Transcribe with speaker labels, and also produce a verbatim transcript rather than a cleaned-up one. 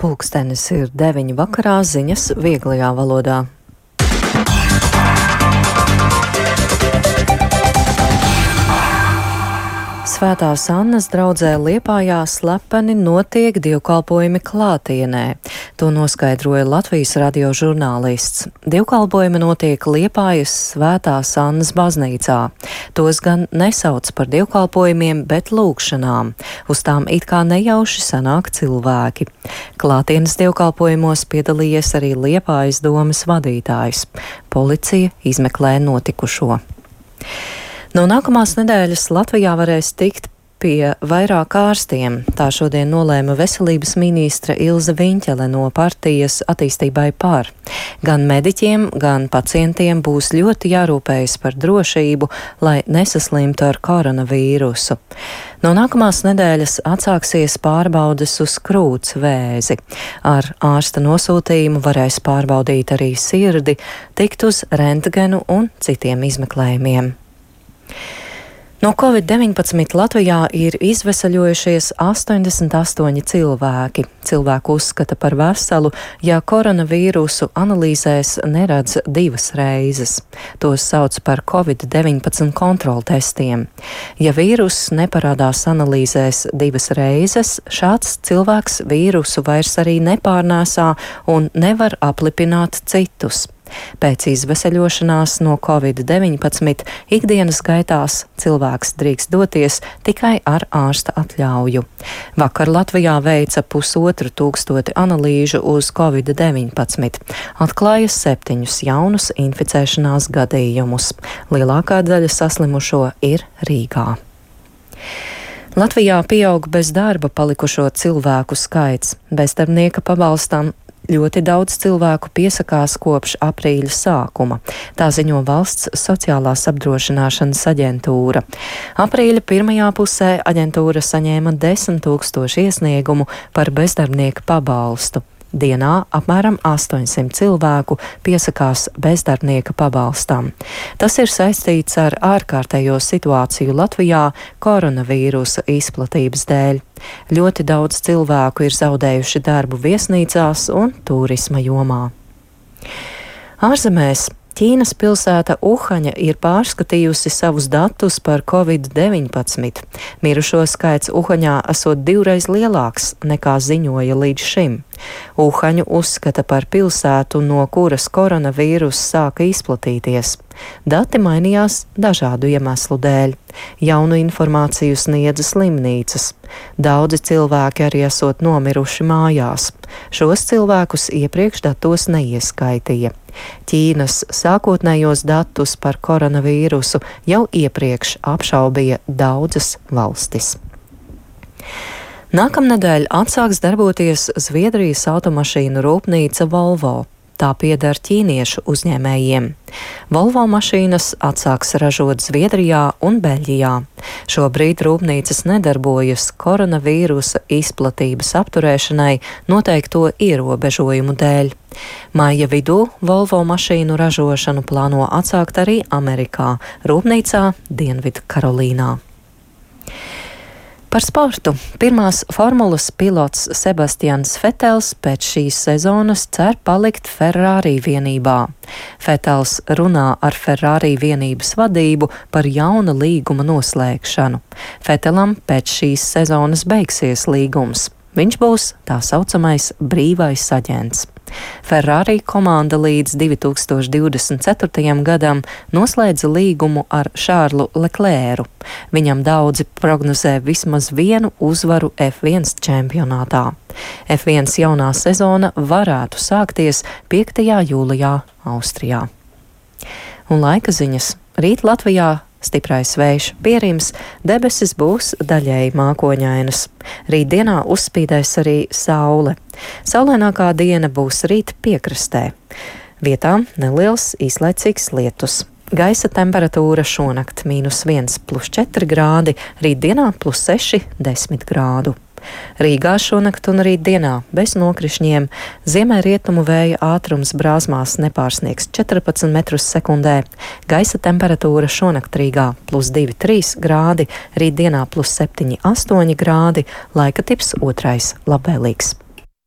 Speaker 1: Pulkstenis ir deviņi vakarā, ziņas vieglajā valodā. Svētās Annas draudzē Liepājā slepeni notiek dievkalpojumi klātienē. To noskaidroja Latvijas radio žurnālists. Dievkalpojumi notiek Liepājas Svētās Annas baznīcā. Tos gan nesauc par dievkalpojumiem, bet lūgšanām. Uz tām it kā nejauši sanāk cilvēki. Klātienes dievkalpojumos piedalījies arī Liepājas domes vadītājs. Policija izmeklē notikušo. No nākamās nedēļas Latvijā varēs tikt pie vairāk ārstiem. Tā šodien nolēma veselības ministre Ilze Viņķele no partijas Attīstībai par. Gan mediķiem, gan pacientiem būs ļoti jārūpējas par drošību, lai nesaslimtu ar koronavīrusu. No nākamās nedēļas atsāksies pārbaudes uz krūts vēzi. Ar ārsta nosūtījumu varēs pārbaudīt arī sirdi, tikt uz rentgenu un citiem izmeklējumiem. No covid deviņpadsmit Latvijā ir izvesaļojušies astoņdesmit astoņi cilvēki. Cilvēku uzskata par veselu, ja koronavīrusu analīzēs neredz divas reizes. Tos sauc par covid deviņpadsmit kontroltestiem. Ja vīruss neparādās analīzēs divas reizes, šāds cilvēks vīrusu vairs arī nepārnēsā un nevar aplipināt citus. Pēc izveseļošanās no covid deviņpadsmit ikdienas gaitās cilvēks drīkst doties tikai ar ārsta atļauju. Vakar Latvijā veica pusotru tūkstoti analīžu uz covid deviņpadsmit. Atklāja septiņus jaunus inficēšanās gadījumus. Lielākā daļa saslimušo ir Rīgā. Latvijā pieaug bez darba palikušo cilvēku skaits. Bezdarbnieka pabalstam ļoti daudz cilvēku piesakās kopš aprīļa sākuma. Tā ziņo Valsts sociālās apdrošināšanas aģentūra. Aprīļa pirmajā pusē aģentūra saņēma desmit tūkstoši iesniegumu par bezdarbnieka pabalstu. Dienā apmēram astoņsimt cilvēku piesakās bezdarbnieka pabalstam. Tas ir saistīts ar ārkārtējo situāciju Latvijā koronavīrusa izplatības dēļ. Ļoti daudz cilvēku ir zaudējuši darbu viesnīcās un turisma jomā. Ārzemēs Ķīnas pilsēta Uhaņa ir pārskatījusi savus datus par covid deviņpadsmit. Mirušo skaits Uhaņā esot divreiz lielāks nekā ziņoja līdz šim. Uhaņu uzskata par pilsētu, no kuras koronavīrus sāka izplatīties. Dati mainījās dažādu iemeslu dēļ. Jaunu informāciju sniedza slimnīcas. Daudzi cilvēki arī esot nomiruši mājās. Šos cilvēkus iepriekš datos neieskaitīja. Ķīnas sākotnējos datus par koronavīrusu jau iepriekš apšaubīja daudzas valstis. Nākamnedēļ atsāks darboties Zviedrijas automašīnu rūpnīca Volvo. Tā pieder ķīniešu uzņēmējiem. Volvo mašīnas atsāks ražot Zviedrijā un Beļģijā. Šobrīd rūpnīcas nedarbojas koronavīrusa izplatības apturēšanai noteikto ierobežojumu dēļ. Maija vidū Volvo mašīnu ražošanu plāno atsākt arī Amerikā, rūpnīcā Dienvidu Karolīnā. Par sportu. Pirmās formulas pilots Sebastians Vetels pēc šīs sezonas cer palikt Ferrari vienībā. Vetels runā ar Ferrari vienības vadību par jauna līguma noslēgšanu. Vetelam pēc šīs sezonas beigsies līgums. Viņš būs tā saucamais brīvais aģents. Ferrari komanda līdz divi tūkstoši divdesmit ceturtajam gadam noslēdza līgumu ar Šārlu Leklēru. Viņam daudzi prognozē vismaz vienu uzvaru F viens čempionātā. F viens jaunā sezona varētu sākties piektajā jūlijā Austrijā. Un laika ziņas. Rīt Latvijā stiprais vējš pierims, debesis būs daļēji mākoņainas. Rītdienā uzspīdēs arī saule. Saulainākā diena būs rīt piekrastē. Vietām neliels īslaicīgs lietus. Gaisa temperatūra šonakt mīnus viens plus četri grādi, rītdienā plus seši desmit grādu. Rīgā šonakt un rīt dienā bez nokrišņiem, ziemeļrietumu vēja ātrums brāzmās nepārsniegs četrpadsmit metrus sekundē, gaisa temperatūra šonakt Rīgā plus divi trīs grādi, rīt dienā plus septiņi astoņi grādi, laika tips otrais labvēlīgs.